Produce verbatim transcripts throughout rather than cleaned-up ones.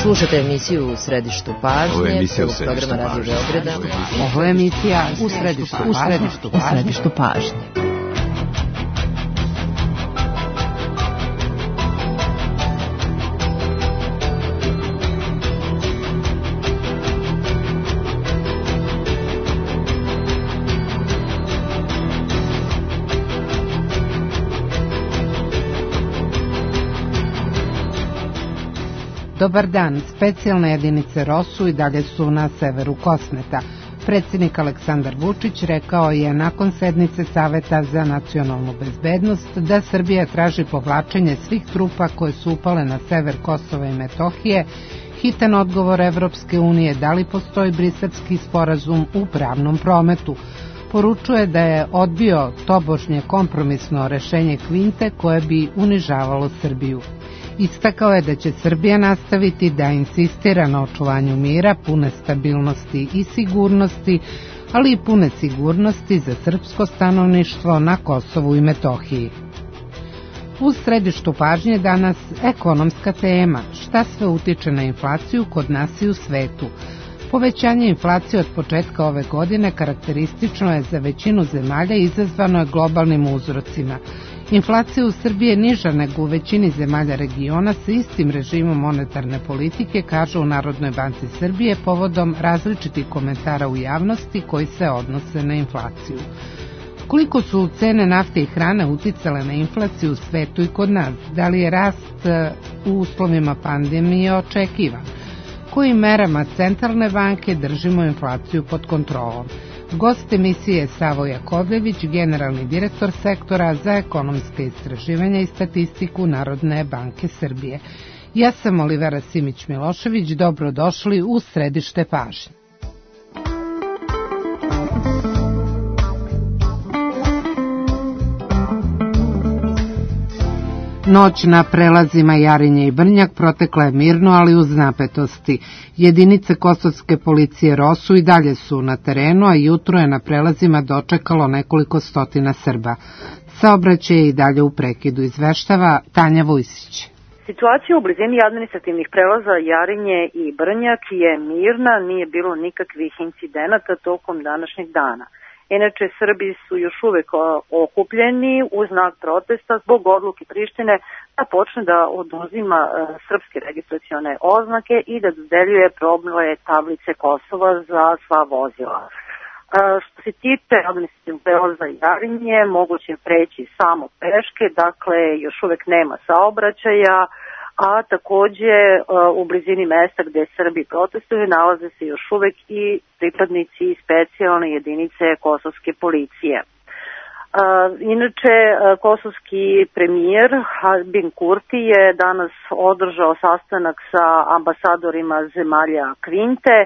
Slušate emisiju U središtu pažnje. Ovo je emisija U središtu pažnje. Radio Beograda. Ovo je emisija U središtu pažnje. U središtu pažnje. U središtu pažnje. Dobar dan, specijalne jedinice ROSU i dalje su na severu Kosmeta. Predsjednik Aleksandar Vučić rekao je nakon sednice Saveta za nacionalnu bezbednost da Srbija traži povlačenje svih trupa koje su upale na sever Kosova i Metohije, hitan odgovor Evropske unije da li postoji briselski sporazum u pravnom prometu. Poručuje da je odbio tobožnje kompromisno rešenje Kvinte koje bi unižavalo Srbiju. Istakao je da će Srbija nastaviti da insistira na očuvanju mira, pune stabilnosti i sigurnosti, ali i pune sigurnosti za srpsko stanovništvo na Kosovu i Metohiji. U središtu pažnje danas ekonomska tema, šta sve utiče na inflaciju kod nas i u svetu. Povećanje inflacije od početka ove godine karakteristično je za većinu zemalja i izazvano je globalnim uzrocima. Inflacija u Srbiji je niža nego u većini zemalja regiona sa istim režimom monetarne politike, kažu u Narodnoj banci Srbije povodom različitih komentara u javnosti koji se odnose na inflaciju. Koliko su cene nafte i hrane uticale na inflaciju u svetu i kod nas? Da li je rast u uslovima pandemije očekivan? Kojim merama centralne banke držimo inflaciju pod kontrolom? Gost emisije je Savo Jakovljević, generalni direktor sektora za ekonomske istraživanja i statistiku Narodne banke Srbije. Ja sam Olivera Simić-Milošević, dobrodošli u središte pažnje. Noć na prelazima Jarinje i Brnjak protekla je mirno, ali uz napetosti. Jedinice kosovske policije ROSU i dalje su na terenu, a jutro je na prelazima dočekalo nekoliko stotina Srba. Saobraćaj je i dalje u prekidu, izveštava Tanja Vujsić. Situacija u blizini administrativnih prelaza Jarinje i Brnjak je mirna, nije bilo nikakvih incidenata tokom današnjeg dana. Inače, Srbi su još uvek okupljeni u znak protesta zbog odluke Prištine da počne da oduzima srpske registracione oznake i da dodeljuje probne tablice Kosova za sva vozila. Što se tiče administrativnog prelaza Jarinje, moguće preći samo peške, dakle još uvek nema saobraćaja, a takođe u blizini mesta gde Srbi protestuju nalaze se još uvek i pripadnici specijalne jedinice kosovske policije. Inače, kosovski premijer Albin Kurti je danas održao sastanak sa ambasadorima zemalja Kvinte,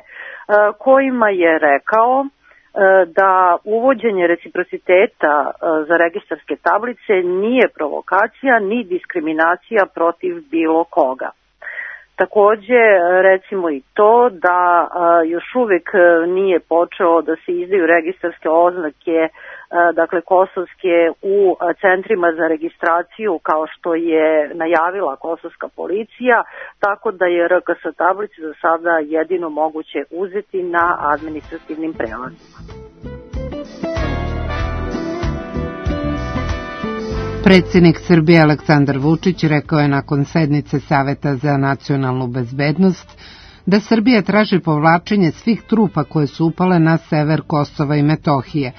kojima je rekao da uvođenje reciprociteta za registarske tablice nije provokacija ni diskriminacija protiv bilo koga. Takođe, recimo i to da još uvek nije počeo da se izdaju registarske oznake, dakle kosovske, u centrima za registraciju kao što je najavila kosovska policija, tako da je R K S tablice za sada jedino moguće uzeti na administrativnim prelazima. Predsjednik Srbije Aleksandar Vučić rekao je nakon sednice Saveta za nacionalnu bezbednost da Srbija traži povlačenje svih trupa koje su upale na sever Kosova i Metohije.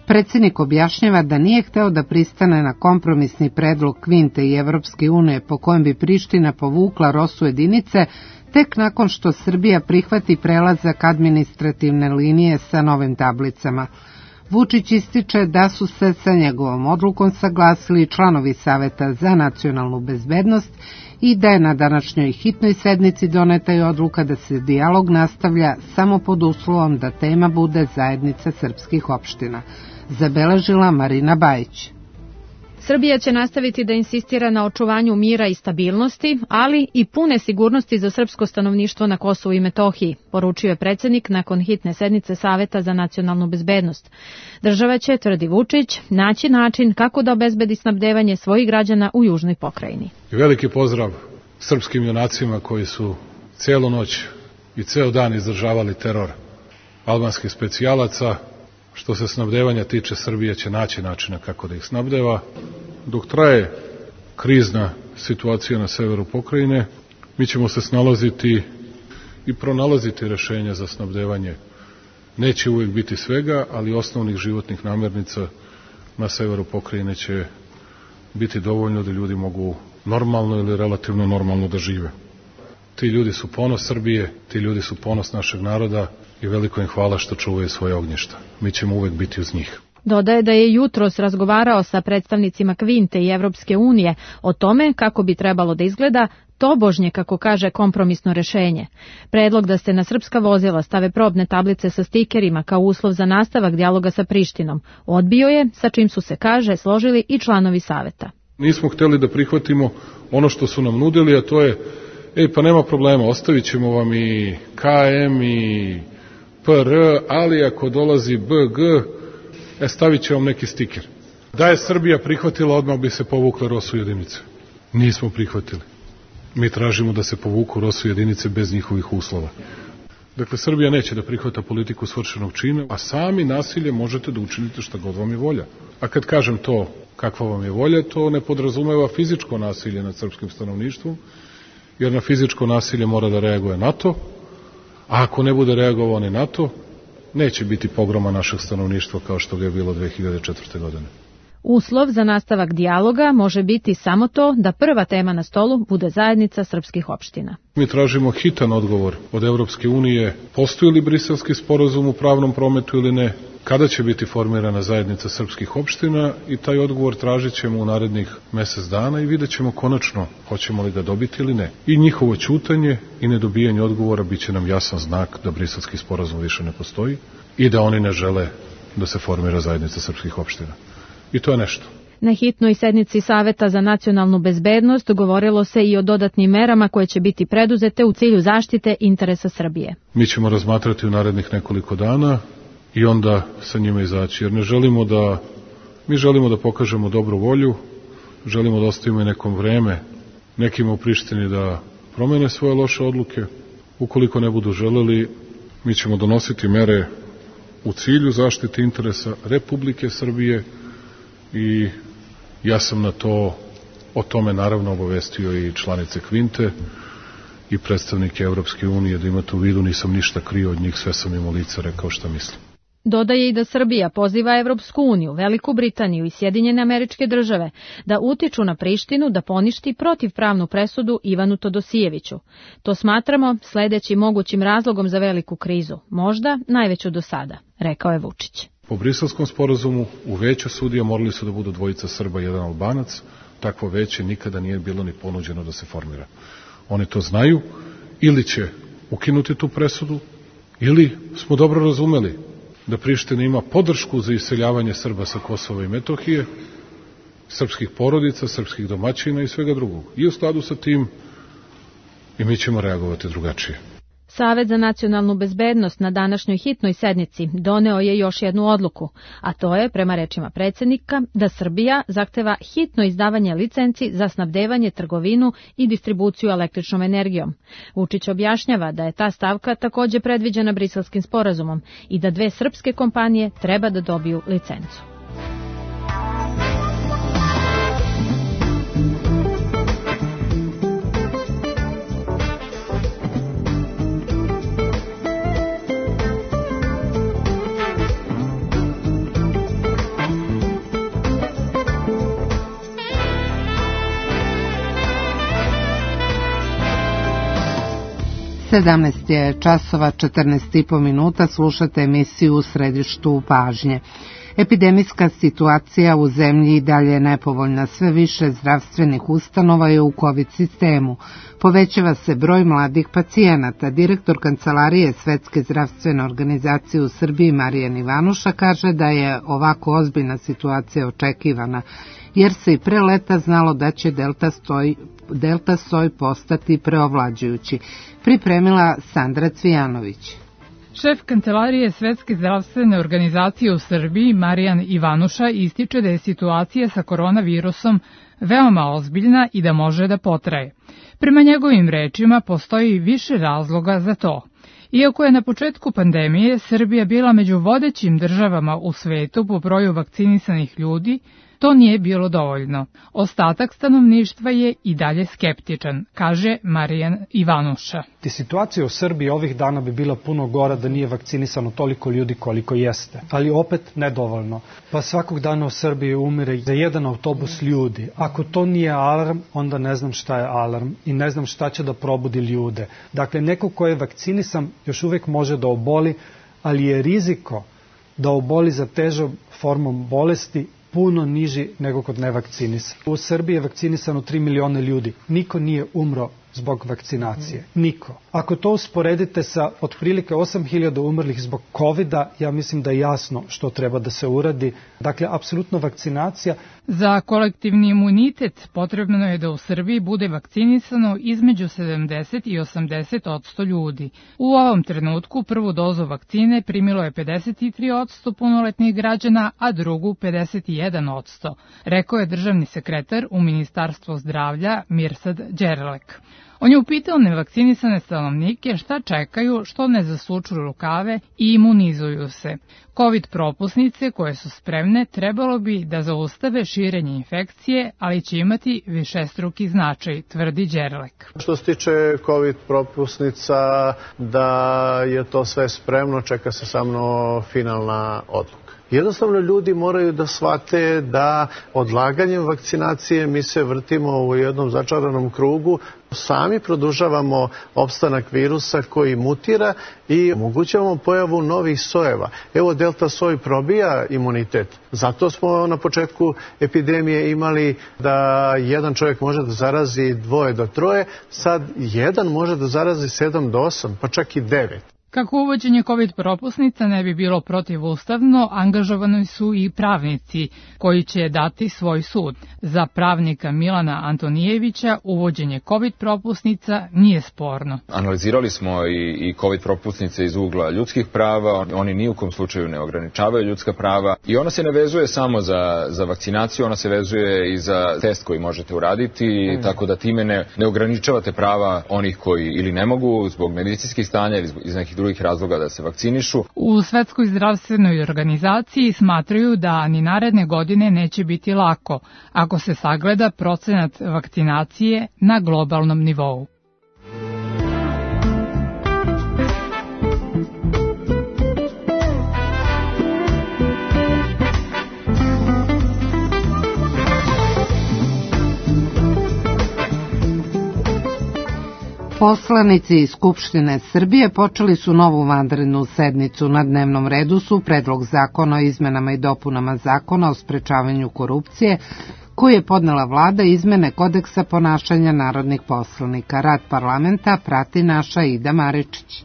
Predsjednik objašnjava da nije hteo da pristane na kompromisni predlog Kvinte i Evropske unije po kojem bi Priština povukla ROSU jedinice tek nakon što Srbija prihvati prelazak administrativne linije sa novim tablicama. Vučić ističe da su se sa njegovom odlukom saglasili članovi Saveta za nacionalnu bezbednost i da je na današnjoj hitnoj sednici doneta i odluka da se dijalog nastavlja samo pod uslovom da tema bude zajednica srpskih opština, zabeležila Marina Bajić. Srbija će nastaviti da insistira na očuvanju mira i stabilnosti, ali i pune sigurnosti za srpsko stanovništvo na Kosovu i Metohiji, poručio je predsjednik nakon hitne sednice Saveta za nacionalnu bezbednost. Država će, tvrdi Vučić, naći način kako da obezbedi snabdevanje svojih građana u južnoj pokrajini. Veliki pozdrav srpskim junacima koji su celu noć i ceo dan izdržavali teror albanskih specijalaca. Što se snabdevanja tiče, Srbija će naći načina kako da ih snabdeva. Dok traje krizna situacija na severu pokrajine, mi ćemo se snalaziti i pronalaziti rešenja za snabdevanje. Neće uvijek biti svega, ali osnovnih životnih namirnica na severu pokrajine će biti dovoljno da ljudi mogu normalno ili relativno normalno da žive. Ti ljudi su ponos Srbije, ti ljudi su ponos našeg naroda i veliko im hvala što čuvaju svoje ognjišta. Mi ćemo uvek biti uz njih. Dodaje da je jutros razgovarao sa predstavnicima Kvinte i Evropske unije o tome kako bi trebalo da izgleda tobožnje, kako kaže, kompromisno rešenje. Predlog da se na srpska vozila stave probne tablice sa stikerima kao uslov za nastavak dijaloga sa Prištinom odbio je, sa čim su se, kaže, složili i članovi saveta. Nismo hteli da prihvatimo ono što su nam nudili, a to je, ej, pa nema problema, ostavit ćemo vam i K M i P R, ali ako dolazi B G, e, stavit će vam neki stiker. Da je Srbija prihvatila, odmah bi se povukle ROSU jedinice. Nismo prihvatili. Mi tražimo da se povuku ROSU jedinice bez njihovih uslova. Dakle, Srbija neće da prihvata politiku svršenog čina, a sami nasilje možete da učinite šta god vam je volja. A kad kažem to, kakva vam je volja, to ne podrazumeva fizičko nasilje nad srpskim stanovništvom, jer na fizičko nasilje mora da reaguje NATO, a ako ne bude reagovao ni NATO, neće biti pogroma našeg stanovništva kao što ga je bilo dve hiljade četvrte. godine. Uslov za nastavak dijaloga može biti samo to da prva tema na stolu bude zajednica srpskih opština. Mi tražimo hitan odgovor od Evropske unije, postoji li Briselski sporazum u pravnom prometu ili ne, kada će biti formirana zajednica srpskih opština, i taj odgovor tražit ćemo u narednih mesec dana i vidjet ćemo konačno hoćemo li ga dobiti ili ne. I njihovo ćutanje i nedobijanje odgovora bit će nam jasan znak da Briselski sporazum više ne postoji i da oni ne žele da se formira zajednica srpskih opština. I to je nešto. Na hitnoj sednici Saveta za nacionalnu bezbednost govorilo se i o dodatnim merama koje će biti preduzete u cilju zaštite interesa Srbije. Mi ćemo razmatrati u narednih nekoliko dana i onda sa njima izaći, jer ne želimo da, mi želimo da pokažemo dobru volju, želimo da ostavimo i nekom vreme nekima u Prištini da promene svoje loše odluke. Ukoliko ne budu želeli, mi ćemo donositi mere u cilju zaštite interesa Republike Srbije i ja sam na to, o tome naravno obavestio i članice Kvinte i predstavnike Evropske unije, da imate u vidu, nisam ništa krio od njih, sve sam im u lice rekao šta mislim. Dodaje i da Srbija poziva Evropsku uniju, Veliku Britaniju i Sjedinjene Američke Države da utiču na Prištinu da poništi protivpravnu presudu Ivanu Todosijeviću. To smatramo sledećim mogućim razlogom za veliku krizu, možda najveću do sada, rekao je Vučić. Po Briselskom sporazumu u veću sudija morali su da budu dvojica Srba i jedan Albanac. Takvo veće nikada nije bilo ni ponuđeno da se formira. Oni to znaju, ili će ukinuti tu presudu, ili smo dobro razumeli da Priština ima podršku za iseljavanje Srba sa Kosova i Metohije, srpskih porodica, srpskih domaćina i svega drugog. I u skladu sa tim i mi ćemo reagovati drugačije. Savet za nacionalnu bezbednost na današnjoj hitnoj sednici doneo je još jednu odluku, a to je, prema rečima predsjednika, da Srbija zahteva hitno izdavanje licenci za snabdevanje, trgovinu i distribuciju električnom energijom. Vučić objašnjava da je ta stavka također predviđena Briselskim sporazumom i da dve srpske kompanije treba da dobiju licencu. sedamnaest je časova, četrnaest i po minuta, slušate emisiju U središtu pažnje. Epidemijska situacija u zemlji i dalje je nepovoljna, sve više zdravstvenih ustanova je u COVID sistemu. Povećava se broj mladih pacijenata. Direktor Kancelarije Svetske zdravstvene organizacije u Srbiji Marijan Ivanuša kaže da je ovako ozbiljna situacija očekivana, jer se i pre leta znalo da će delta, stoj, delta soj postati preovlađujući. Pripremila Sandra Cvijanović. Šef Kancelarije Svetske zdravstvene organizacije u Srbiji, Marijan Ivanuša, ističe da je situacija sa koronavirusom veoma ozbiljna i da može da potraje. Prema njegovim rečima postoji više razloga za to. Iako je na početku pandemije Srbija bila među vodećim državama u svetu po broju vakcinisanih ljudi, to nije bilo dovoljno. Ostatak stanovništva je i dalje skeptičan, kaže Marijan Ivanuša. Situacija u Srbiji ovih dana bi bila puno gora da nije vakcinisano toliko ljudi koliko jeste, ali opet nedovoljno. Pa svakog dana u Srbiji umire za jedan autobus ljudi. Ako to nije alarm, onda ne znam šta je alarm i ne znam šta će da probudi ljude. Dakle, neko ko je vakcinisan još uvek može da oboli, ali je riziko da oboli za težom formom bolesti puno niži nego kod nevakcinisa. U Srbiji je vakcinisano tri miliona ljudi. Niko nije umro zbog vakcinacije. Niko. Ako to usporedite sa otprilike osam hiljada umrlih zbog kovida, ja mislim da je jasno što treba da se uradi. Dakle, apsolutno vakcinacija. Za kolektivni imunitet potrebno je da u Srbiji bude vakcinisano između sedamdeset i osamdeset odsto ljudi. U ovom trenutku prvu dozu vakcine primilo je pedeset tri odsto punoletnih građana, a drugu pedeset jedan odsto, rekao je državni sekretar u Ministarstvu zdravlja Mirsad Đerlek. On je upitao nevakcinisane stanovnike šta čekaju, što ne zasuču rukave i imunizuju se. Covid propusnice koje su spremne trebalo bi da zaustave širenje infekcije, ali će imati višestruki značaj, tvrdi Đerlek. Što se tiče Covid propusnica, da je to sve spremno, čeka se samo finalna odluka. Jednostavno ljudi moraju da shvate da odlaganjem vakcinacije mi se vrtimo u jednom začaranom krugu, sami produžavamo opstanak virusa koji mutira i omogućavamo pojavu novih sojeva. Evo, delta soj probija imunitet. Zato smo na početku epidemije imali da jedan čovjek može da zarazi dvoje do troje, sad jedan može da zarazi sedam do osam, pa čak i devet. Kako uvođenje COVID propusnica ne bi bilo protivustavno, angažovani su i pravnici koji će dati svoj sud. Za pravnika Milana Antonijevića uvođenje COVID propusnica nije sporno. Analizirali smo i, i COVID propusnice iz ugla ljudskih prava, oni ni u kom slučaju ne ograničavaju ljudska prava i ona se ne vezuje samo za, za vakcinaciju, ona se vezuje i za test koji možete uraditi, mm. tako da time ne, ne ograničavate prava onih koji ili ne mogu zbog medicinskih stanja ili iz nekih drugih razloga da se vakcinišu. U Svetskoj zdravstvenoj organizaciji smatraju da ni naredne godine neće biti lako ako se sagleda procenat vakcinacije na globalnom nivou. Poslanici iz Skupštine Srbije počeli su novu vanrednu sednicu. Na dnevnom redu su Predlog zakona o izmenama i dopunama Zakona o sprečavanju korupcije, koji je podnela vlada, izmene kodeksa ponašanja narodnih poslanika. Rad parlamenta prati naša Ida Maričić.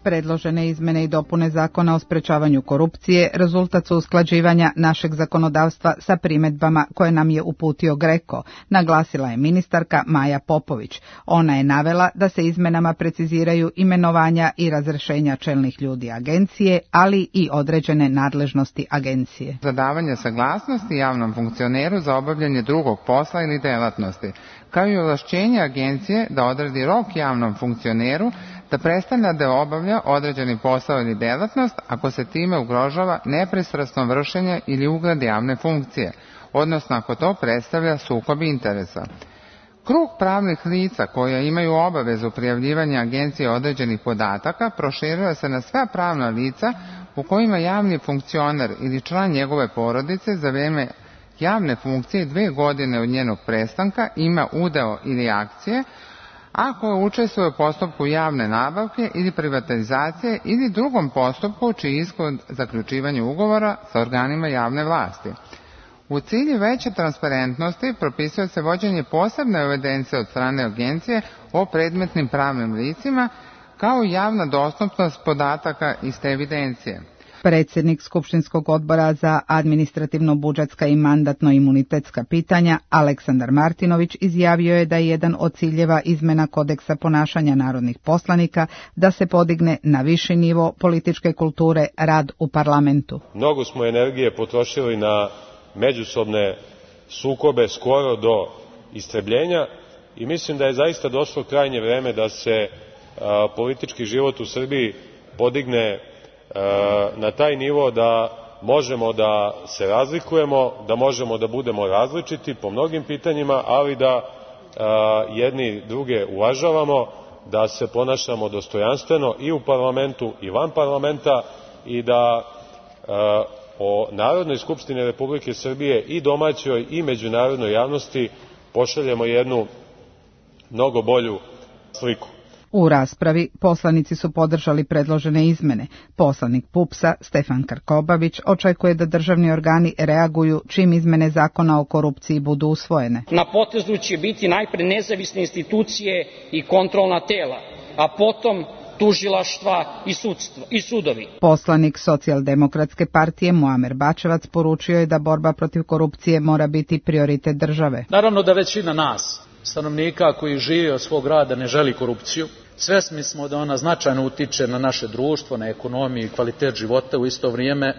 Predložene izmene i dopune Zakona o sprečavanju korupcije rezultat su usklađivanja našeg zakonodavstva sa primedbama koje nam je uputio GREKO, naglasila je ministarka Maja Popović. Ona je navela da se izmenama preciziraju imenovanja i razrešenja čelnih ljudi agencije, ali i određene nadležnosti agencije. Za davanje saglasnosti javnom funkcioneru za obavljanje drugog posla ili delatnosti, kao i ovlašćenje agencije da odredi rok javnom funkcioneru da prestane da obavlja određeni posao ili delatnost ako se time ugrožava nepristrasno vršenje ili ugled javne funkcije, odnosno ako to predstavlja sukob interesa. Krug pravnih lica koja imaju obavezu prijavljivanja agencije određenih podataka proširuje se na sva pravna lica u kojima javni funkcioner ili član njegove porodice za vreme javne funkcije dve godine od njenog prestanka ima udeo ili akcije, ako učestvuje u postupku javne nabavke ili privatizacije ili drugom postupku čiji ishod zaključivanja ugovora sa organima javne vlasti. U cilju veće transparentnosti propisuje se vođenje posebne evidencije od strane agencije o predmetnim pravnim licima, kao i javna dostupnost podataka iz te evidencije. Predsjednik Skupštinskog odbora za administrativno-budžetska i mandatno-imunitetska pitanja Aleksandar Martinović izjavio je da je jedan od ciljeva izmena kodeksa ponašanja narodnih poslanika da se podigne na viši nivo političke kulture rad u parlamentu. Mnogo smo energije potrošili na međusobne sukobe skoro do istrebljenja i mislim da je zaista došlo krajnje vreme da se a, politički život u Srbiji podigne a, na taj nivo da možemo da se razlikujemo, da možemo da budemo različiti po mnogim pitanjima, ali da a, jedni druge uvažavamo, da se ponašamo dostojanstveno i u parlamentu i van parlamenta i da a, o Narodnoj skupštini Republike Srbije i domaćoj i međunarodnoj javnosti pošaljemo jednu mnogo bolju sliku. U raspravi poslanici su podržali predložene izmene. Poslanik PUPS-a Stefan Krkobabić očekuje da državni organi reaguju čim izmene zakona o korupciji budu usvojene. Na potezu će biti najpre nezavisne institucije i kontrolna tela, a potom tužilaštva i, sudstvo, i sudovi. Poslanik Socijaldemokratske partije Muamer Bačevac poručio je da borba protiv korupcije mora biti prioritet države. Naravno da većina nas, stanovnika koji žive od svog rada, ne želi korupciju. Svesni smo da ona značajno utiče na naše društvo, na ekonomiju i kvalitet života. U isto vrijeme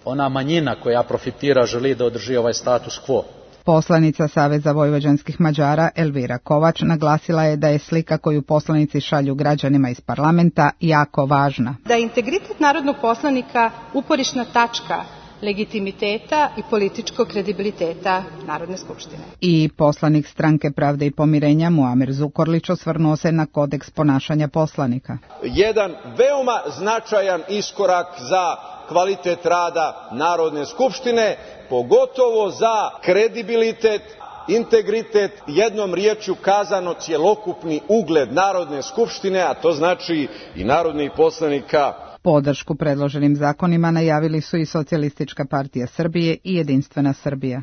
ona manjina koja profitira želi da održi ovaj status quo. Poslanica Saveza vojvođanskih Mađara Elvira Kovač naglasila je da je slika koju poslanici šalju građanima iz parlamenta jako važna. Da je integritet narodnog poslanika uporišna tačka legitimiteta i političkog kredibiliteta Narodne skupštine. I poslanik Stranke pravde i pomirenja Muamer Zukorlić osvrnuo se na kodeks ponašanja poslanika. Jedan veoma značajan iskorak za kvalitet rada Narodne skupštine, pogotovo za kredibilitet, integritet, jednom riječju kazano cjelokupni ugled Narodne skupštine, a to znači i narodnih poslanika. Podršku predloženim zakonima najavili su i Socijalistička partija Srbije i Jedinstvena Srbija.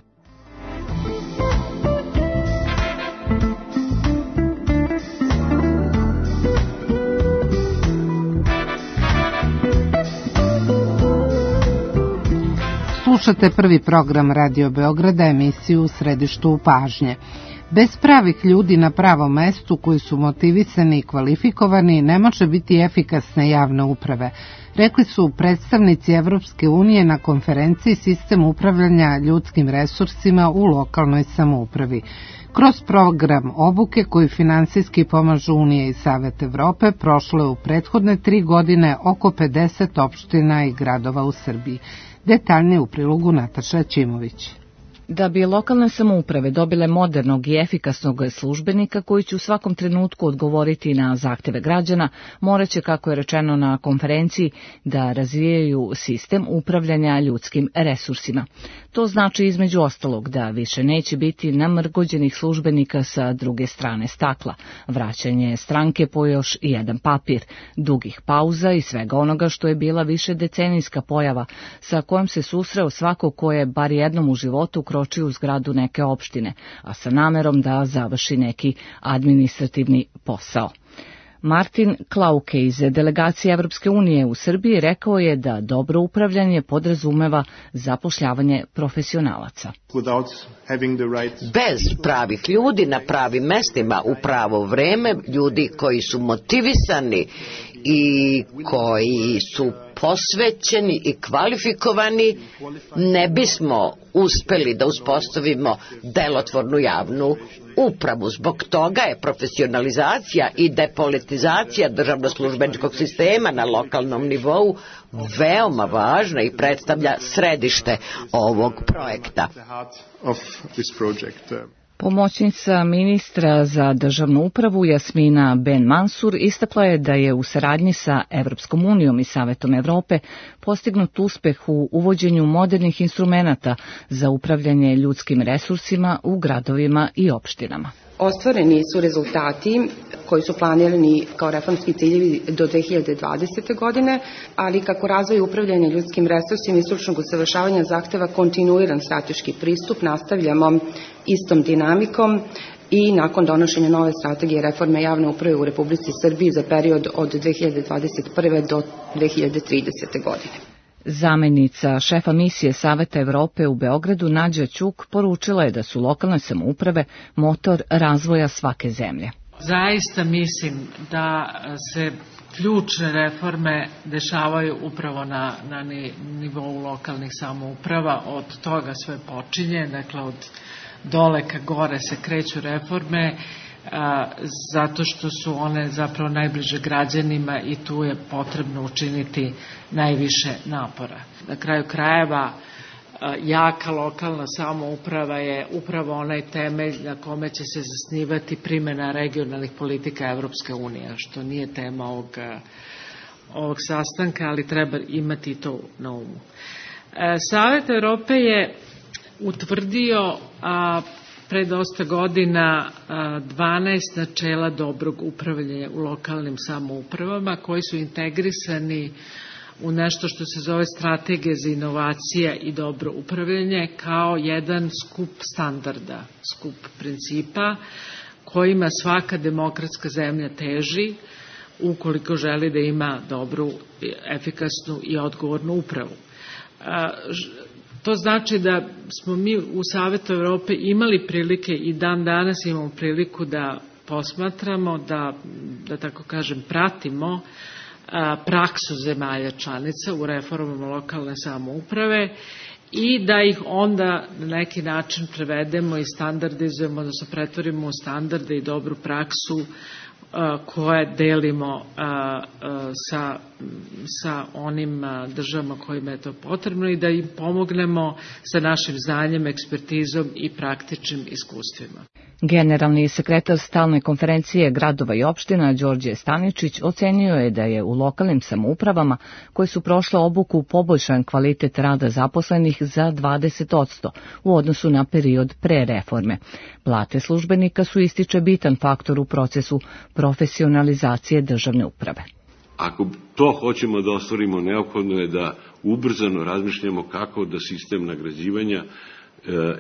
Slušate prvi program Radio Beograda, emisiju U središtu pažnje. Bez pravih ljudi na pravom mestu koji su motivisani i kvalifikovani ne može biti efikasne javne uprave, rekli su predstavnici Evropske unije na konferenciji Sistem upravljanja ljudskim resursima u lokalnoj samoupravi. Kroz program obuke koji finansijski pomažu Unije i Savet Evrope prošlo je u prethodne tri godine oko pedeset opština i gradova u Srbiji. Detaljnije u prilogu Nataša Ćimović. Da bi lokalne samouprave dobile modernog i efikasnog službenika koji će u svakom trenutku odgovoriti na zahteve građana, moraće, kako je rečeno na konferenciji, da razvijaju sistem upravljanja ljudskim resursima. To znači između ostalog da više neće biti namrgođenih službenika sa druge strane stakla, vraćanje stranke po još jedan papir, dugih pauza i svega onoga što je bila više decenijska pojava sa kojom se susreo svako ko je bar jednom u životu kročio u zgradu neke opštine, a sa namerom da završi neki administrativni posao. Martin Klauke iz delegacije Evropske unije u Srbiji rekao je da dobro upravljanje podrazumeva zapošljavanje profesionalaca. Bez pravih ljudi na pravim mestima u pravo vreme, ljudi koji su motivisani i koji su posvećeni i kvalifikovani, ne bismo uspeli da uspostavimo delotvornu javnu upravu. Zbog toga je profesionalizacija i depolitizacija državno-službeničkog sistema na lokalnom nivou veoma važna i predstavlja središte ovog projekta. Pomoćnica ministra za državnu upravu Jasmina Ben Mansur istakla je da je u saradnji sa Evropskom unijom i Savetom Evrope postignut uspeh u uvođenju modernih instrumenata za upravljanje ljudskim resursima u gradovima i opštinama. Ostvareni su rezultati koji su planirani kao reformski ciljevi do dve hiljade dvadesete. godine, ali kako razvoj upravljanja ljudskim resursima i stručnog usavršavanja zahteva kontinuiran strateški pristup, nastavljamo istom dinamikom i nakon donošenja nove strategije reforme javne uprave u Republici Srbiji za period od dve hiljade dvadeset prve. do dve hiljade tridesete. godine. Zamenica šefa misije Saveta Evrope u Beogradu Nađa Ćuk poručila je da su lokalne samouprave motor razvoja svake zemlje. Zaista mislim da se ključne reforme dešavaju upravo na, na nivou lokalnih samouprava, od toga sve počinje, dakle od dole ka gore se kreću reforme, zato što su one zapravo najbliže građanima i tu je potrebno učiniti najviše napora. Na kraju krajeva, jaka lokalna samouprava je upravo onaj temelj na kome će se zasnivati primjena regionalnih politika Evropske unije, što nije tema ovog, ovog sastanka, ali treba imati to na umu. Savet Evrope je utvrdio a, pre dosta godina dvanaest načela dobrog upravljanja u lokalnim samoupravama koji su integrisani u nešto što se zove strategija za inovacija i dobro upravljanje kao jedan skup standarda, skup principa kojima svaka demokratska zemlja teži ukoliko želi da ima dobru, efikasnu i odgovornu upravu. To znači da smo mi u Savetu Evrope imali prilike i dan danas imamo priliku da posmatramo, da, da tako kažem, pratimo praksu zemalja članica u reformama lokalne samouprave i da ih onda na neki način prevedemo i standardizujemo, da se pretvorimo u standarde i dobru praksu koje delimo sa, sa onim državama kojima je to potrebno i da im pomognemo sa našim znanjem, ekspertizom i praktičnim iskustvima. Generalni sekretar Stalne konferencije gradova i opština Đorđe Staničić ocenio je da je u lokalnim samoupravama koje su prošle obuku poboljšan kvalitet rada zaposlenih za dvadeset posto u odnosu na period pre reforme. Plate službenika su, ističe, bitan faktor u procesu profesionalizacije državne uprave. Ako to hoćemo da ostvarimo, neophodno je da ubrzano razmišljamo kako da sistem nagrađivanja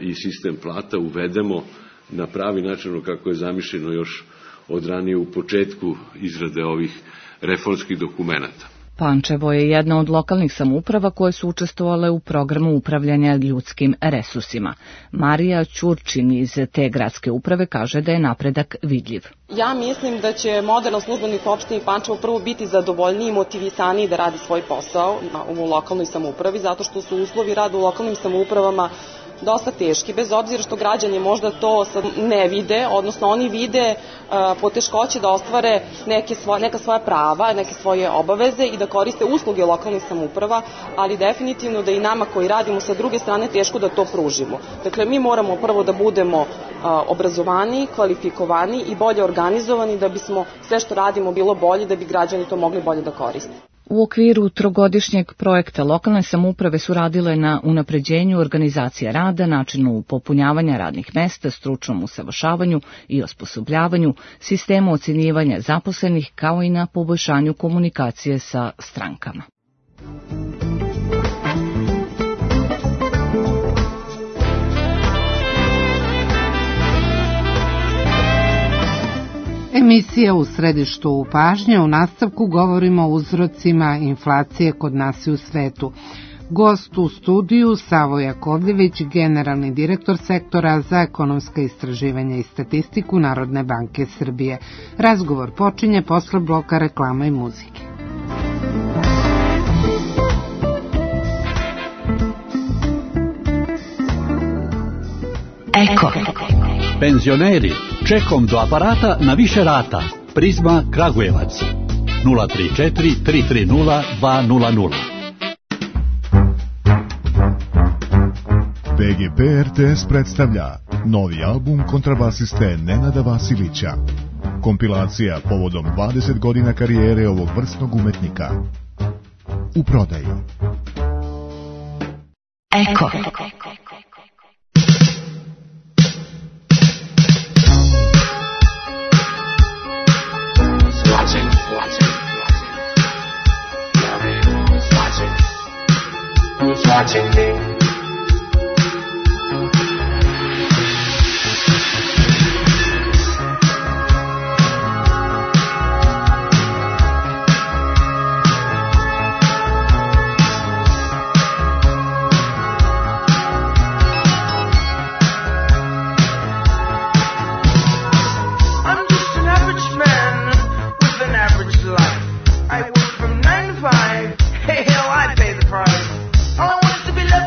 i sistem plata uvedemo na pravi način kako je zamišljeno još od ranije u početku izrade ovih reformskih dokumenata. Pančevo je jedna od lokalnih samouprava koje su učestvovale u programu upravljanja ljudskim resursima. Marija Ćurčin iz te gradske uprave kaže da je napredak vidljiv. Ja mislim da će moderan službenik u opštini Pančevo prvo biti zadovoljniji i motivisaniji da radi svoj posao u lokalnoj samoupravi, zato što su uslovi rada u lokalnim samoupravama dosta teški, bez obzira što građani možda to sad ne vide, odnosno oni vide uh, poteškoće da ostvare neke svoje, neka svoja prava, neke svoje obaveze i da koriste usluge lokalnih samouprava, ali definitivno da i nama koji radimo sa druge strane teško da to pružimo. Dakle, mi moramo prvo da budemo uh, obrazovani, kvalifikovani i bolje organizovani da bismo sve što radimo bilo bolje, da bi građani to mogli bolje da koriste. U okviru trogodišnjeg projekta lokalne samouprave su radile na unapređenju organizacije rada, načinu popunjavanja radnih mesta, stručnom usavršavanju i osposobljavanju, sistemu ocenjivanja zaposlenih, kao i na poboljšanju komunikacije sa strankama. Emisija U središtu pažnje. U nastavku govorimo o uzrocima inflacije kod nas i u svetu. Gost u studiju Savo Jakovljević, generalni direktor sektora za ekonomska istraživanja i statistiku Narodne banke Srbije. Razgovor počinje posle bloka reklama i muzike. Eko. Penzioneri, čekom do aparata na više rata. Prizma Kragujevac. nula tri četiri tri tri nula dva nula nula. B G P R T S predstavlja novi album kontrabasiste Nenada Vasilića. Kompilacija povodom dvadeset godina karijere ovog vrsnog umetnika. U prodaju. Eko. Watching, watching, who's watching? Who's watching me? I work from nine to five. Hey, hell, I pay the price. All I want is to be left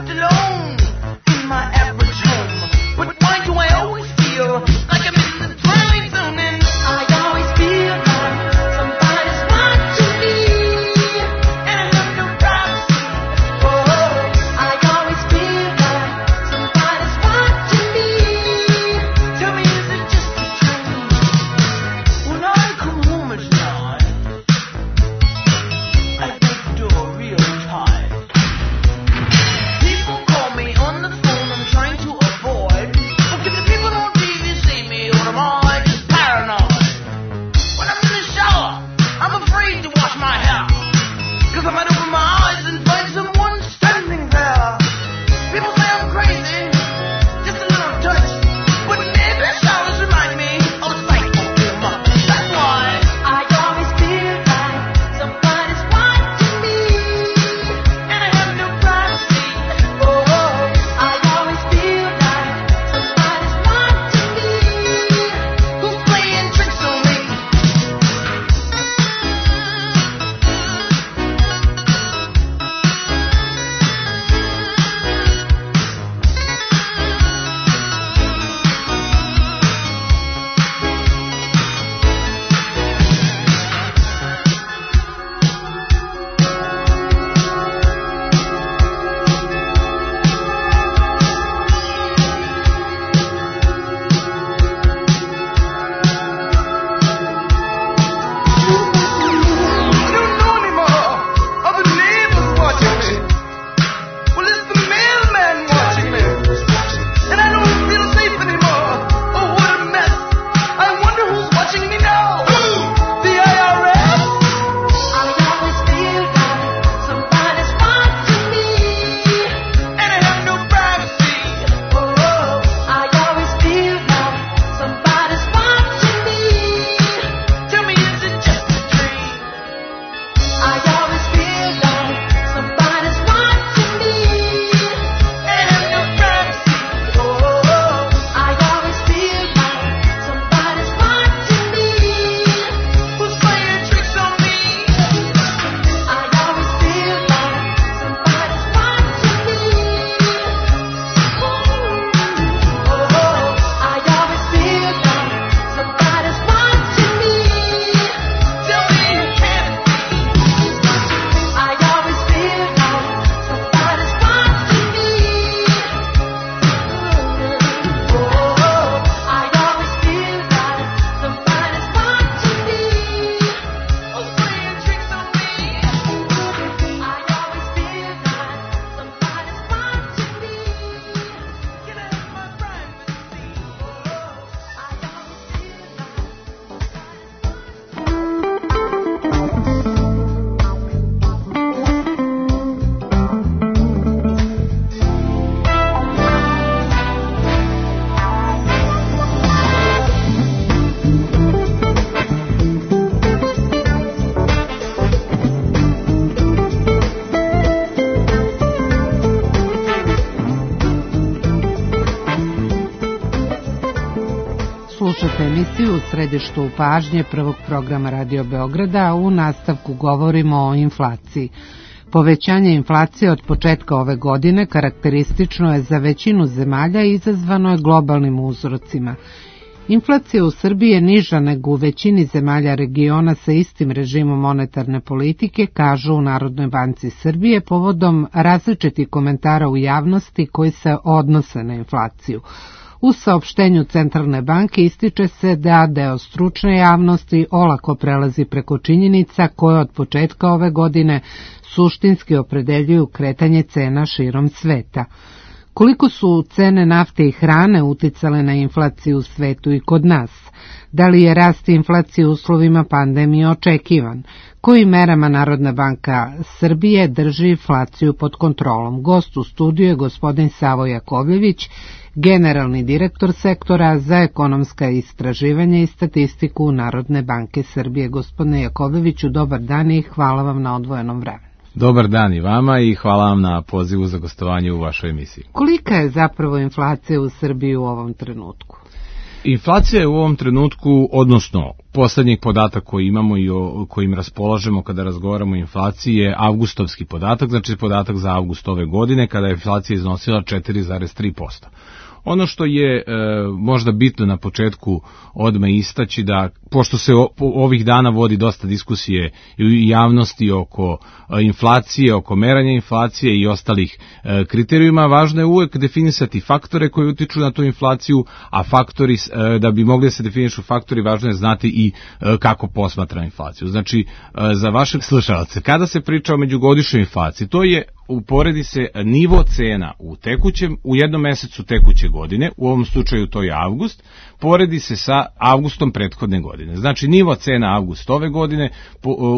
slušate emisiju U središtu pažnje prvog programa Radio Beograda, a u nastavku govorimo o inflaciji. Povećanje inflacije od početka ove godine karakteristično je za većinu zemalja i izazvano je globalnim uzrocima. Inflacija u Srbiji je niža nego u većini zemalja regiona sa istim režimom monetarne politike, kažu u Narodnoj banci Srbije povodom različitih komentara u javnosti koji se odnose na inflaciju. U saopštenju Centralne banke ističe se da deo stručne javnosti olako prelazi preko činjenica koje od početka ove godine suštinski opredeljuju kretanje cena širom sveta. Koliko su cene nafte i hrane uticale na inflaciju u svetu i kod nas? Da li je rast inflacije u uslovima pandemije očekivan? Kojim merama Narodna banka Srbije drži inflaciju pod kontrolom? Gost u studiju je gospodin Savo Jakovljević, generalni direktor sektora za ekonomska istraživanja i statistiku Narodne banke Srbije. Gospodine Jakovljeviću, dobar dan i hvala vam na odvojenom vremenu. Dobar dan i vama i hvala vam na pozivu za gostovanje u vašoj emisiji. Kolika je zapravo inflacija u Srbiji u ovom trenutku? Inflacija je u ovom trenutku, odnosno poslednjih podatak koji imamo i o kojim raspolažemo kada razgovaramo o inflaciji je avgustovski podatak, znači podatak za avgust ove godine kada je inflacija iznosila četiri zarez tri posto. Ono što je e, možda bitno na početku odmah istaći da, pošto se o, ovih dana vodi dosta diskusije i u javnosti oko e, inflacije, oko meranja inflacije i ostalih e, kriterijuma, važno je uvek definisati faktore koji utiču na tu inflaciju, a faktori, e, da bi mogli da se definišu faktori, važno je znati i e, kako posmatra inflaciju. Znači, e, za vašeg slušalce, kada se priča o međugodišnjoj inflaciji, to je uporedi se nivo cena u tekućem, u jednom mesecu tekuće godine, u ovom slučaju to je avgust, poredi se sa avgustom prethodne godine. Znači nivo cena avgust ove godine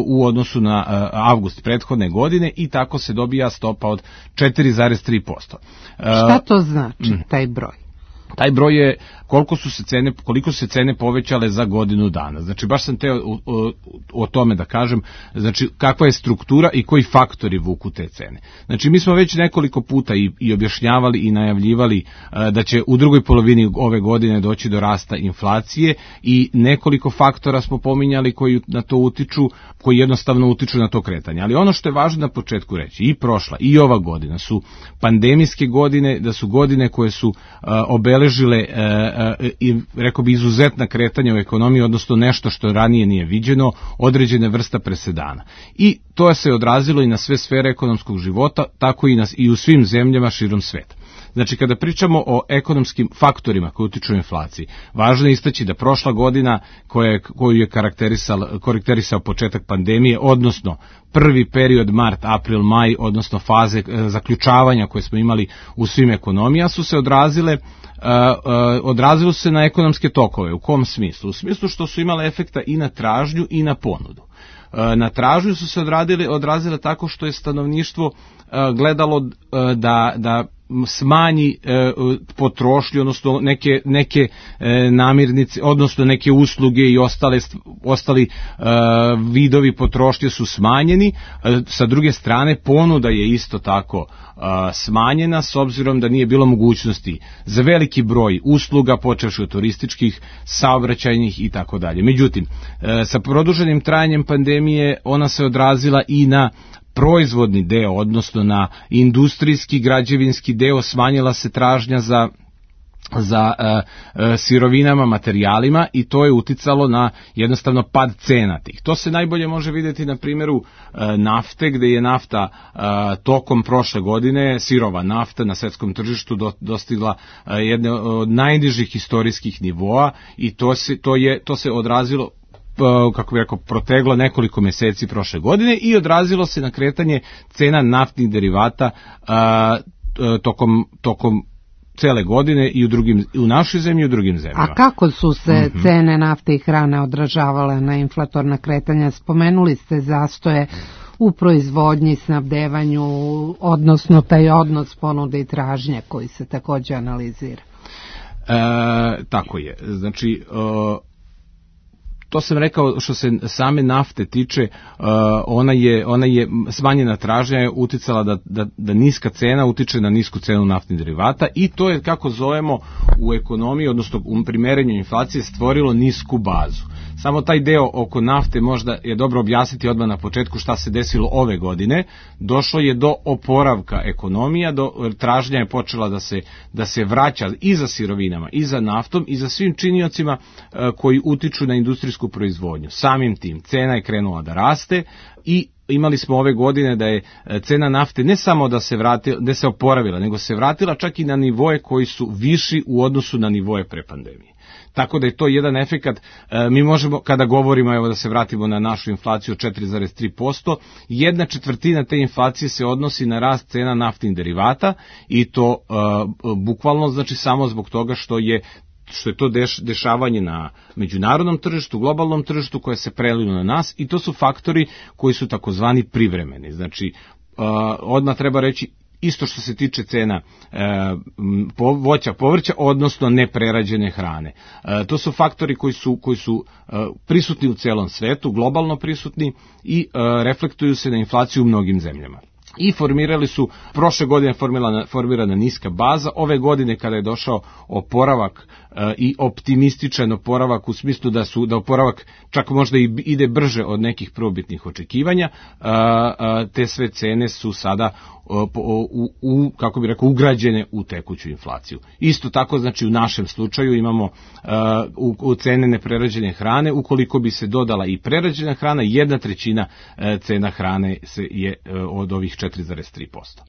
u odnosu na avgust prethodne godine i tako se dobija stopa od četiri zarez tri posto. Šta to znači, taj broj? Taj broj je koliko su se cene, koliko su se cene povećale za godinu dana. Znači baš sam teo o, o, o tome da kažem, znači kakva je struktura i koji faktori vuku te cene. Znači mi smo već nekoliko puta i, i objašnjavali i najavljivali a, da će u drugoj polovini ove godine doći do rasta inflacije i nekoliko faktora smo pominjali koji na to utiču, koji jednostavno utiču na to kretanje. Ali ono što je važno na početku reći, i prošla i ova godina su pandemijske godine, da su godine koje su a, obeležile a, i rekao bi izuzetna kretanja u ekonomiji, odnosno nešto što ranije nije viđeno, određene vrsta presedana. I to se odrazilo i na sve sfere ekonomskog života, tako i, na, i u svim zemljama širom sveta. Znači, kada pričamo o ekonomskim faktorima koji utiču na inflaciji, važno je istaći da prošla godina koja je, koju je karakterisao, karakterisao početak pandemije, odnosno prvi period mart, april, maj, odnosno faze e, zaključavanja koje smo imali u svim ekonomijama, su se odrazile Uh, uh, odrazilo se na ekonomske tokove. U kom smislu? U smislu što su imale efekta i na tražnju i na ponudu. Uh, na tražnju su se odradile, odrazile tako što je stanovništvo uh, gledalo uh, da, da smanji e, potrošnju, odnosno neke, neke e, namirnice, odnosno neke usluge i ostale, ostali e, vidovi potrošnje su smanjeni. E, sa druge strane, ponuda je isto tako e, smanjena, s obzirom da nije bilo mogućnosti za veliki broj usluga, počevši od turističkih, saobraćajnih i tako dalje. Međutim, e, sa produženim trajanjem pandemije ona se odrazila i na proizvodni deo, odnosno na industrijski, građevinski deo, smanjila se tražnja za za e, e, sirovinama, materijalima i to je uticalo na jednostavno pad cena tih. To se najbolje može vidjeti na primjeru e, nafte, gde je nafta e, tokom prošle godine, sirova nafta na svetskom tržištu do, dostigla e, jedne od najnižih historijskih nivoa i to se, to je, to se odrazilo, kako bih rekao, proteglo nekoliko mjeseci prošle godine i odrazilo se na kretanje cena naftnih derivata a, tokom, tokom cele godine i u, drugim, u našoj zemlji i u drugim zemljama. A kako su se mm-hmm. cene nafte i hrane odražavale na inflatorna kretanja? Spomenuli ste zastoje u proizvodnji, snabdevanju, odnosno taj odnos ponude i tražnje koji se također analizira. E, tako je. Znači, e, to sam rekao što se same nafte tiče, ona je, ona je smanjena tražnja je uticala da, da, da niska cena utiče na nisku cenu naftnih derivata i to je, kako zovemo u ekonomiji, odnosno u primerenju inflacije, stvorilo nisku bazu. Samo taj deo oko nafte možda je dobro objasniti odmah na početku šta se desilo ove godine. Došlo je do oporavka ekonomija, do tražnja je počela da se, da se vraća i za sirovinama, i za naftom, i za svim činiocima koji utiču na industrijsku proizvodnju. Samim tim cena je krenula da raste i imali smo ove godine da je cena nafte ne samo da se vratila, da se oporavila, nego se vratila čak i na nivoje koji su viši u odnosu na nivoje pre pandemije. Tako da je to jedan efekat, mi možemo, kada govorimo, evo da se vratimo na našu inflaciju četiri zarez tri posto, jedna četvrtina te inflacije se odnosi na rast cena naftnih derivata i to uh, bukvalno znači samo zbog toga što je što je to deš, dešavanje na međunarodnom tržištu, globalnom tržištu koje se prelilo na nas i to su faktori koji su takozvani privremeni. Znači, uh, odmah treba reći isto što se tiče cena e, po, voća, povrća, odnosno neprerađene hrane. E, to su faktori koji su, koji su e, prisutni u celom svetu, globalno prisutni i e, reflektuju se na inflaciju u mnogim zemljama. I formirali su, prošle godine formirana, formirana niska baza, ove godine kada je došao oporavak e, i optimističan oporavak u smislu da su da oporavak čak možda i ide brže od nekih prvobitnih očekivanja, e, e, te sve cene su sada u, u, u, kako bi rekao, ugrađene u tekuću inflaciju. Isto tako, znači u našem slučaju imamo uh, u, u cene neprerađene hrane, ukoliko bi se dodala i prerađena hrana, jedna trećina uh, cena hrane se je uh, od ovih četiri zarez tri posto.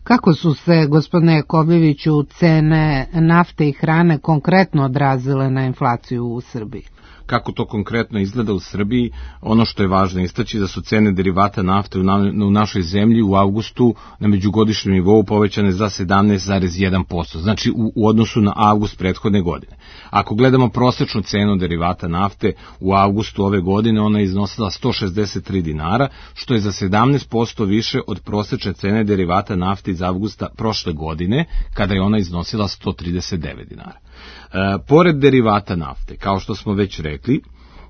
Kako su se, gospodine Jakovljeviću, cene nafte i hrane konkretno odrazile na inflaciju u Srbiji? Kako to konkretno izgleda u Srbiji, ono što je važno istaći da su cene derivata nafte u, na, u našoj zemlji u avgustu na međugodišnjem nivou povećane za sedamnaest zarez jedan posto, znači u, u odnosu na avgust prethodne godine. Ako gledamo prosečnu cenu derivata nafte u avgustu ove godine, ona je iznosila sto šezdeset tri dinara, što je za sedamnaest posto više od prosečne cene derivata nafte iz avgusta prošle godine, kada je ona iznosila sto trideset devet dinara. E, pored derivata nafte, kao što smo već rekli,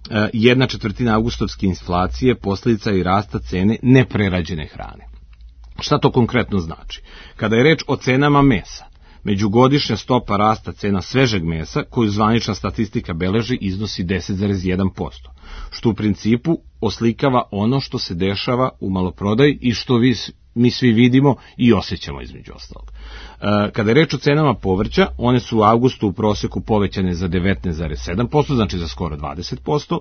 e, jedna četvrtina avgustovske inflacije posljedica je i rasta cene neprerađene hrane. Šta to konkretno znači? Kada je reč o cenama mesa, međugodišnja stopa rasta cena svežeg mesa, koju zvanična statistika beleži, iznosi deset zarez jedan posto, što u principu oslikava ono što se dešava u maloprodaji i što vi, mi svi vidimo i osjećamo između ostalog. E, kada je reč o cenama povrća, one su u avgustu u proseku povećane za devetnaest zarez sedam posto, znači za skoro dvadeset posto,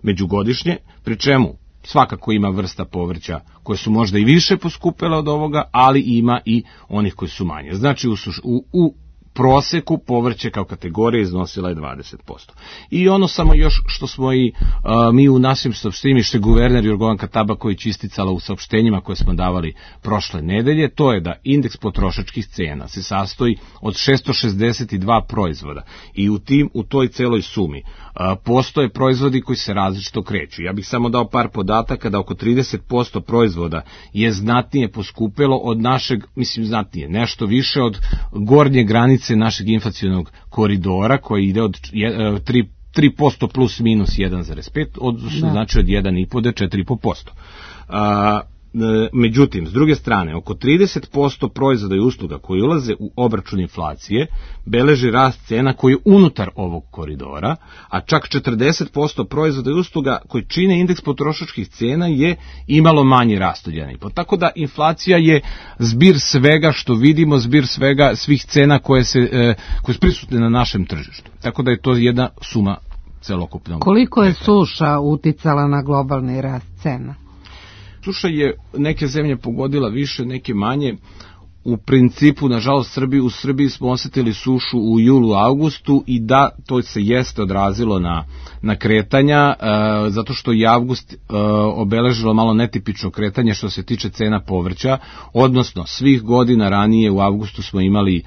međugodišnje, pri čemu svakako ima vrsta povrća koje su možda i više poskupele od ovoga, ali ima i onih koji su manje. Znači u, u, u proseku povrće kao kategorija iznosila je dvadeset posto. I ono samo još što smo i uh, mi u našim saopštenjima, što je guverner Jorgovanka Tabaković isticala u saopštenjima koje smo davali prošle nedelje, to je da indeks potrošačkih cena se sastoji od šesto šezdeset dva proizvoda i u tim, u toj celoj sumi uh, postoje proizvodi koji se različito kreću. Ja bih samo dao par podataka da oko trideset posto proizvoda je znatnije poskupelo od našeg, mislim znatnije, nešto više od gornje granice našeg inflacionog koridora koji ide od tri posto plus minus jedan zarez pet, odnosno znači od jedan i po do četiri i po posto. Međutim, s druge strane, oko trideset posto proizvoda i usluga koji ulaze u obračun inflacije beleži rast cena koji je unutar ovog koridora, a čak četrdeset posto proizvoda i usluga koji čine indeks potrošačkih cena je imalo manji rast od jedan i po. Tako da inflacija je zbir svega što vidimo, zbir svega svih cena koje se koje su prisutne na našem tržištu. Tako da je to jedna suma celokupnog. Koliko je suša uticala na globalni rast cena? Suša je neke zemlje pogodila više, neke manje. U principu, nažalost, Srbiji, u Srbiji smo osjetili sušu u julu, augustu i da, to se jeste odrazilo na, na kretanja, e, zato što je avgust e, obeležilo malo netipično kretanje što se tiče cena povrća, odnosno svih godina ranije u avgustu smo imali e,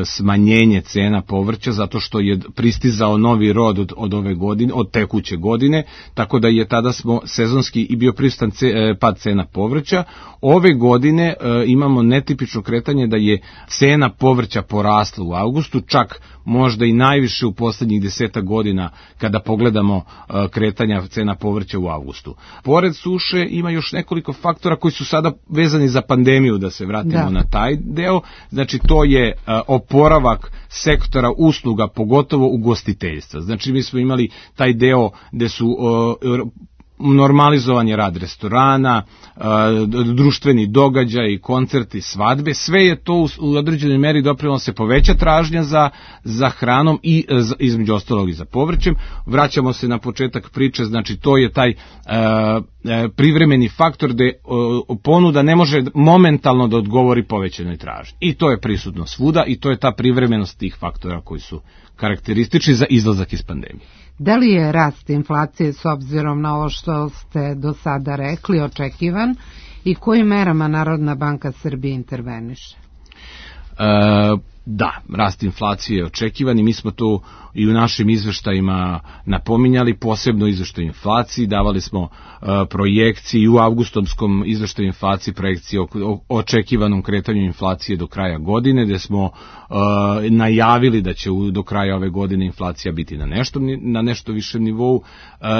smanjenje cena povrća zato što je pristizao novi rod od, od ove godine, od tekuće godine, tako da je tada smo sezonski i bio prisutan ce, e, pad cena povrća. Ove godine e, imamo ne netipično kretanje da je cena povrća porasla u avgustu, čak možda i najviše u poslednjih deseta godina kada pogledamo kretanja cena povrća u avgustu. Pored suše ima još nekoliko faktora koji su sada vezani za pandemiju, da se vratimo da. na taj deo. Znači to je oporavak sektora usluga, pogotovo ugostiteljstva. Znači mi smo imali taj deo gde su normalizovan je rad restorana, društveni događaj, koncerti, svadbe, sve je to u određenoj meri doprinelo se poveća tražnja za, za hranom i između ostalog i za povrćem. Vraćamo se na početak priče, znači to je taj privremeni faktor gde ponuda ne može momentalno da odgovori povećanoj tražnji. I to je prisutno svuda i to je ta privremenost tih faktora koji su karakteristični za izlazak iz pandemije. Da li je rast inflacije s obzirom na ovo što ste do sada rekli očekivan i kojim merama Narodna banka Srbije interveniše? E, da, rast inflacije je očekivan i mi smo to i u našim izveštajima napominjali, posebno izveštaju inflaciji, davali smo uh, projekcije i u avgustovskom izveštaju inflacije projekcije o, o očekivanom kretanju inflacije do kraja godine, gde smo uh, najavili da će u, do kraja ove godine inflacija biti na nešto, na nešto višem nivou uh,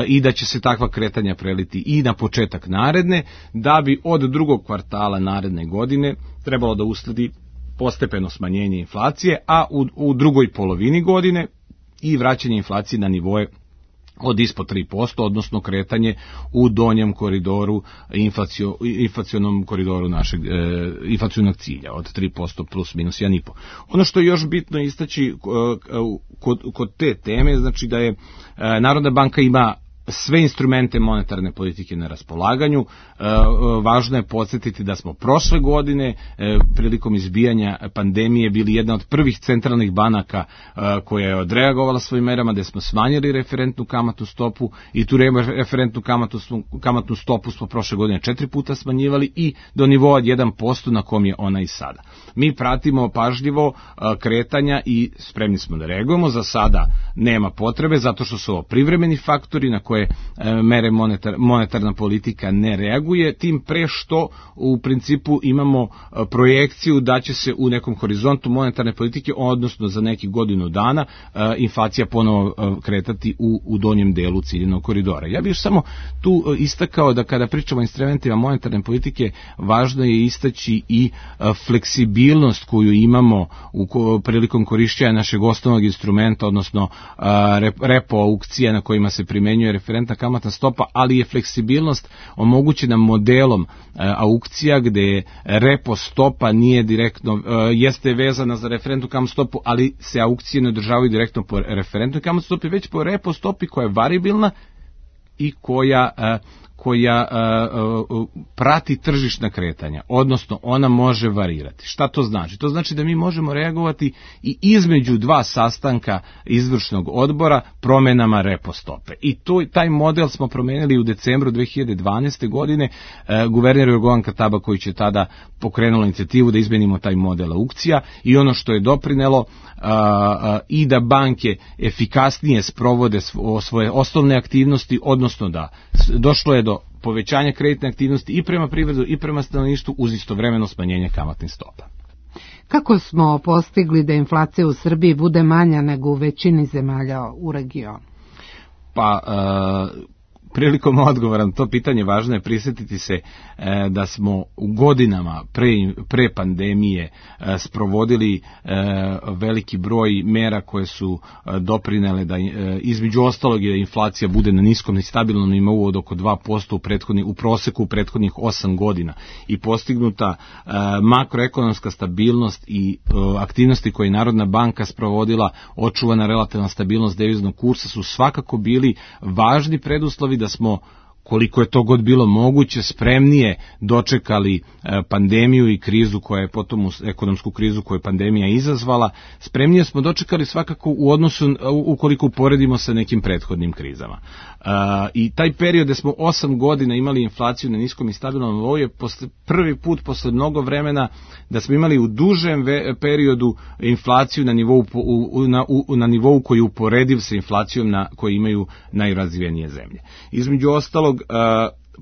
i da će se takva kretanja preliti i na početak naredne, da bi od drugog kvartala naredne godine trebalo da usledi postepeno smanjenje inflacije, a u, u drugoj polovini godine i vraćanje inflacije na nivoje od ispod tri posto, odnosno kretanje u donjem koridoru, inflacio, inflacionom koridoru našeg e, inflacionog cilja od tri posto plus minus jedan i po. Ono što je još bitno istaći kod, kod te teme, znači da je e, Narodna banka ima sve instrumente monetarne politike na raspolaganju. E, važno je podsjetiti da smo prošle godine e, prilikom izbijanja pandemije bili jedna od prvih centralnih banaka e, koja je odreagovala svojim merama, da smo smanjili referentnu kamatnu stopu i tu referentnu kamatnu, kamatnu stopu smo prošle godine četiri puta smanjivali i do nivoa od jedan posto na kom je ona i sada. Mi pratimo pažljivo e, kretanja i spremni smo da reagujemo. Za sada nema potrebe zato što su ovo privremeni faktori na koje mere monetar, monetarna politika ne reaguje, tim pre što u principu imamo projekciju da će se u nekom horizontu monetarne politike, odnosno za neki godinu dana, inflacija ponovo kretati u, u donjem delu ciljenog koridora. Ja bih još samo tu istakao da kada pričamo o instrumentima monetarne politike, važno je istaći i fleksibilnost koju imamo u prilikom korišćenja našeg osnovnog instrumenta, odnosno repo aukcija na kojima se primenjuje referentna kamatna stopa, ali je fleksibilnost omogućena modelom e, aukcija gde repo stopa nije direktno, e, jeste vezana za referentnu kamatnu stopu, ali se aukcije ne održavaju direktno po referentnoj kamatnoj stopi, već po repo stopi koja je variabilna i koja e, koja uh, uh, prati tržišna kretanja, odnosno ona može varirati. Šta to znači? To znači da mi možemo reagovati i između dva sastanka izvršnog odbora promenama repo stope. I to, taj model smo promenili u decembru dve hiljade dvanaeste. godine. Uh, guverner Jorgovan Tabaković će tada pokrenuo inicijativu da izmenimo taj model aukcija i ono što je doprinelo uh, uh, i da banke efikasnije sprovode svoje osnovne aktivnosti, odnosno da došlo je do povećanja kreditne aktivnosti i prema privredu i prema stanovništvu uz istovremeno smanjenje kamatnih stopa. Kako smo postigli da inflacija u Srbiji bude manja nego u većini zemalja u regionu? Pa, uh, prilikom odgovora na to pitanje važno je prisjetiti se e, da smo u godinama pre, pre pandemije e, sprovodili e, veliki broj mera koje su e, doprinele da e, između ostalog je inflacija bude na niskom i stabilnom nivou od oko dva posto u, u proseku u prethodnih osam godina i postignuta e, makroekonomska stabilnost i e, aktivnosti koje je Narodna banka sprovodila, očuvana relativna stabilnost deviznog kursa su svakako bili važni preduslovi da smo, koliko je to god bilo moguće, spremnije dočekali pandemiju i krizu koja je potom, ekonomsku krizu koju je pandemija izazvala, spremnije smo dočekali svakako u odnosu, ukoliko uporedimo sa nekim prethodnim krizama. I taj period gde smo osam godina imali inflaciju na niskom i stabilnom nivou je posle, prvi put posle mnogo vremena da smo imali u dužem periodu inflaciju na nivou, u, na, u, na nivou koji je uporediv sa inflacijom na, koje imaju najrazvijenije zemlje. Između ostalog,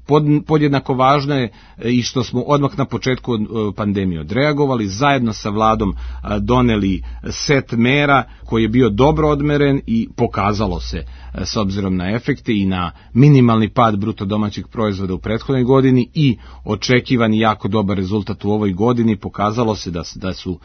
pod, podjednako važno je i što smo odmah na početku pandemije odreagovali, zajedno sa vladom doneli set mera koji je bio dobro odmeren i pokazalo se s obzirom na efekte i na minimalni pad bruto domaćeg proizvoda u prethodnoj godini i očekivani jako dobar rezultat u ovoj godini, pokazalo se da, da su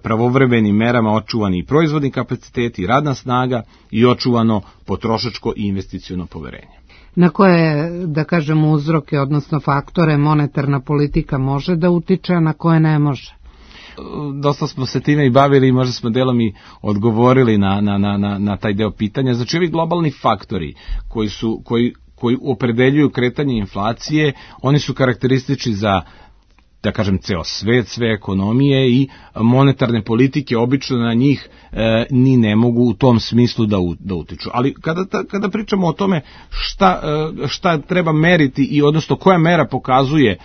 pravovremenim merama očuvani i proizvodni kapaciteti i radna snaga i očuvano potrošačko i investiciono poverenje. Na koje, da kažemo, uzroke, odnosno faktore monetarna politika može da utiče, a na koje ne može? Dosta smo se time i bavili i možda smo delom i odgovorili na, na, na, na taj deo pitanja. Znači, ovi globalni faktori koji, su, koji, koji opredeljuju kretanje inflacije, oni su karakteristični za, da kažem, ceo svet, sve ekonomije i monetarne politike obično na njih e, ni ne mogu u tom smislu da, u, da utiču. Ali kada, kada pričamo o tome šta, e, šta treba meriti i odnosno koja mera pokazuje e,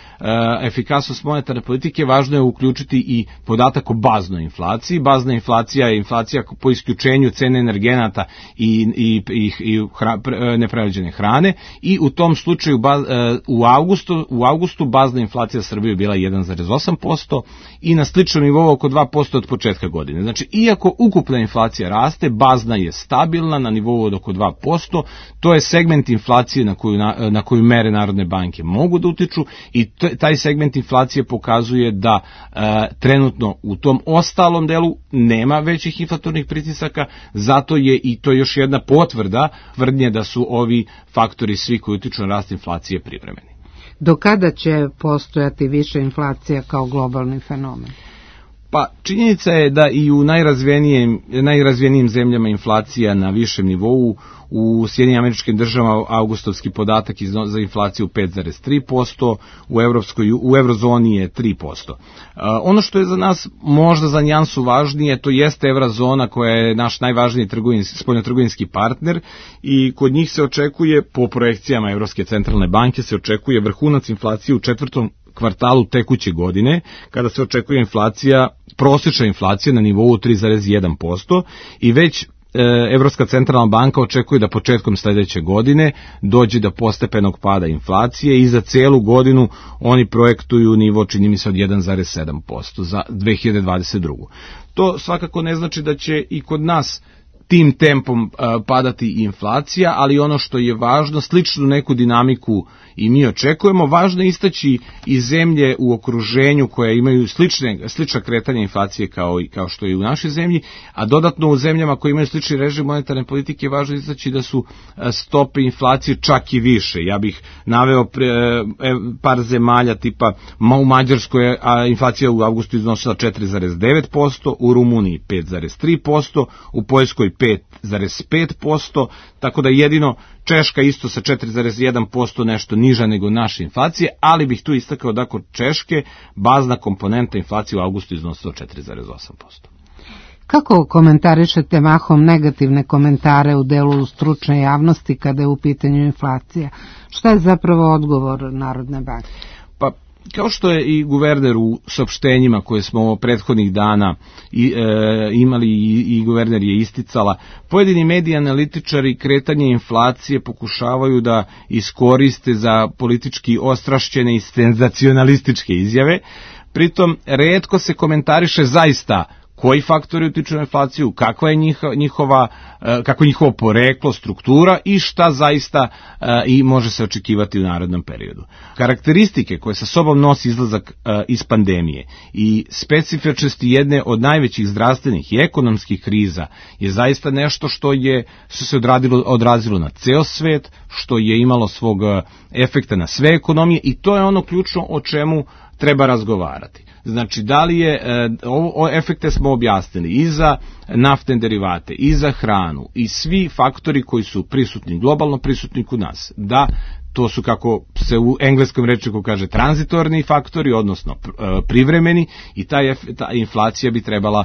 efikasnost monetarne politike, važno je uključiti i podatak o baznoj inflaciji. Bazna inflacija je inflacija po isključenju cene energenata i, i, i, i hra, neprerađene hrane i u tom slučaju baz, e, u, avgustu, u avgustu bazna inflacija Srbije bila jedan zarez osam posto i na sličnom nivou oko dva posto od početka godine. Znači, iako ukupna inflacija raste, bazna je stabilna na nivou od oko dva posto, to je segment inflacije na koju, na, na koju mere Narodne banke mogu da utiču i t, taj segment inflacije pokazuje da e, trenutno u tom ostalom delu nema većih inflatornih pritisaka, zato je i to još jedna potvrda tvrdnje da su ovi faktori svi koji utiču na rast inflacije privremeni. Do kada će postojati više inflacija kao globalni fenomen? Pa činjenica je da i u najrazvijenijim, najrazvijenijim zemljama inflacija na višem nivou. U Sjedinjenim Američkim Državama augustovski podatak za inflaciju pet zarez tri posto, u Evropskoj, u Eurozoni je tri posto. Ono što je za nas možda za nijansu važnije, to jeste Eurozona koja je naš najvažniji trgovinski, spoljnotrgovinski partner i kod njih se očekuje, po projekcijama Evropske centralne banke, se očekuje vrhunac inflacije u četvrtom kvartalu tekuće godine, kada se očekuje inflacija, prosječna inflacija na nivou tri zarez jedan posto i već Evropska centralna banka očekuje da početkom sledeće godine dođe do postepenog pada inflacije i za celu godinu oni projektuju nivo, čini mi se, od jedan zarez sedam posto za dve hiljade dvadeset drugu. To svakako ne znači da će i kod nas tim tempom padati inflacija, ali ono što je važno, sličnu neku dinamiku i mi očekujemo, važno je istaći i zemlje u okruženju koje imaju slične, slična kretanja inflacije kao, i, kao što je i u našoj zemlji, a dodatno u zemljama koje imaju slični režim monetarne politike važno je istaći da su stope inflacije čak i više. Ja bih naveo pre, par zemalja tipa u Mađarskoj je inflacija u avgustu iznosila četiri zarez devet posto, u Rumuniji pet zarez tri posto, u Poljskoj pet zarez pet posto, tako da jedino Češka isto sa četiri zarez jedan posto nešto niža nego naše inflacije, ali bih tu istakao da kod Češke bazna komponenta inflacije u avgustu iznosila četiri zarez osam posto. Kako komentarišete mahom negativne komentare u delu stručne javnosti kada je u pitanju inflacija? Šta je zapravo odgovor Narodne banke? Pa, kao što je i guverner u saopštenjima koje smo prethodnih dana i, e, imali i, i guverner je isticala, pojedini mediji analitičari kretanje inflacije pokušavaju da iskoriste za politički ostrašćene i senzacionalističke izjave, pritom retko se komentariše zaista koji faktori utiču na inflaciju, kakva je njihova, kako je njihovo poreklo, struktura i šta zaista i može se očekivati u narednom periodu. Karakteristike koje sa sobom nosi izlazak iz pandemije i specifičnosti jedne od najvećih zdravstvenih i ekonomskih kriza je zaista nešto što je što se odradilo, odrazilo na ceo svet, što je imalo svog efekta na sve ekonomije i to je ono ključno o čemu treba razgovarati. Znači, da li je, ovo efekte smo objasnili i za naftne derivate, i za hranu, i svi faktori koji su prisutni, globalno prisutni kod nas, da to su, kako se u engleskom rečniku kaže, tranzitorni faktori, odnosno privremeni, i ta, ta inflacija bi trebala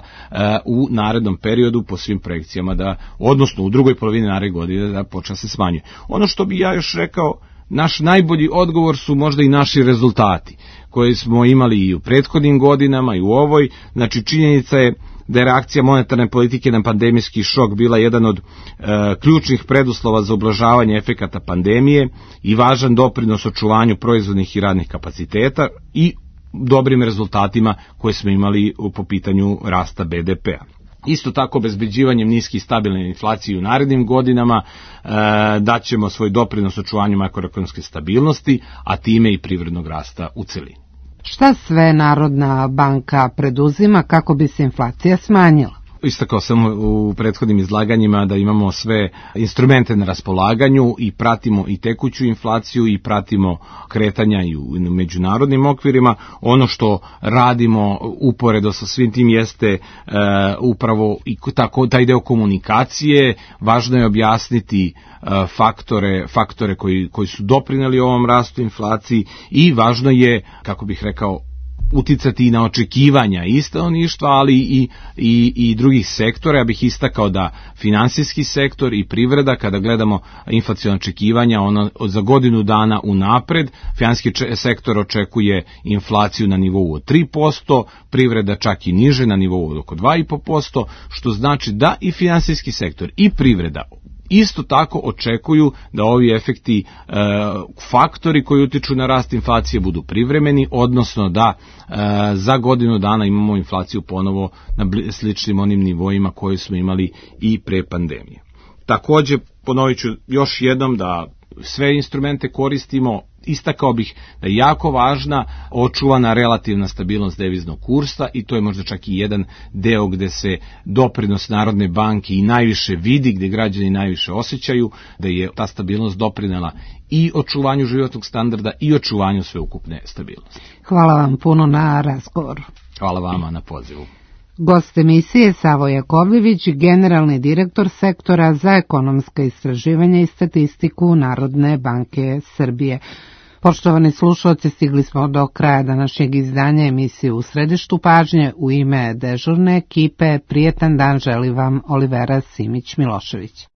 u narednom periodu po svim projekcijama da, odnosno u drugoj polovini naredne godine da počne se smanjuje. Ono što bi ja još rekao, naš najbolji odgovor su možda i naši rezultati koje smo imali i u prethodnim godinama i u ovoj. Znači, činjenica je da je reakcija monetarne politike na pandemijski šok bila jedan od e, ključnih preduslova za ublažavanje efekata pandemije i važan doprinos očuvanju proizvodnih i radnih kapaciteta i dobrim rezultatima koje smo imali po pitanju rasta be de pea. Isto tako, obezbeđivanjem niske i stabilne inflacije u narednim godinama e, daćemo svoj doprinos očuvanju makroekonomske stabilnosti, a time i privrednog rasta u celini. Šta sve Narodna banka preduzima kako bi se inflacija smanjila? Istakao sam u prethodnim izlaganjima da imamo sve instrumente na raspolaganju i pratimo i tekuću inflaciju i pratimo kretanja i u međunarodnim okvirima. Ono što radimo uporedo sa svim tim jeste e, upravo i tako, taj deo komunikacije. Važno je objasniti e, faktore, faktore koji, koji su doprineli ovom rastu inflaciji i važno je, kako bih rekao, uticati i na očekivanja i stanovništva, ali i, i, i drugih sektora. Ja bih istakao da finansijski sektor i privreda, kada gledamo inflacione očekivanja, ono za godinu dana unapred, finansijski sektor očekuje inflaciju na nivou od tri posto, privreda čak i niže na nivou od oko dva i po posto, što znači da i finansijski sektor i privreda isto tako očekuju da ovi efekti, e, faktori koji utiču na rast inflacije budu privremeni, odnosno da e, za godinu dana imamo inflaciju ponovo na sličnim onim nivoima koje smo imali i pre pandemije. Takođe, ponovit ću još jednom da sve instrumente koristimo. Istakao bih da je jako važna očuvana relativna stabilnost deviznog kursa i to je možda čak i jedan deo gde se doprinos Narodne banke i najviše vidi, gde građani najviše osjećaju da je ta stabilnost doprinela i očuvanju životnog standarda i očuvanju sveukupne stabilnosti. Hvala vam puno na razgovoru. Hvala vama na pozivu. Gost emisije Savo Jakovljević, generalni direktor sektora za ekonomska istraživanja i statistiku Narodne banke Srbije. Poštovani slušalci, stigli smo do kraja današnjeg izdanja emisije U središtu pažnje. U ime dežurne ekipe prijetan dan želi vam Olivera Simić-Milošević.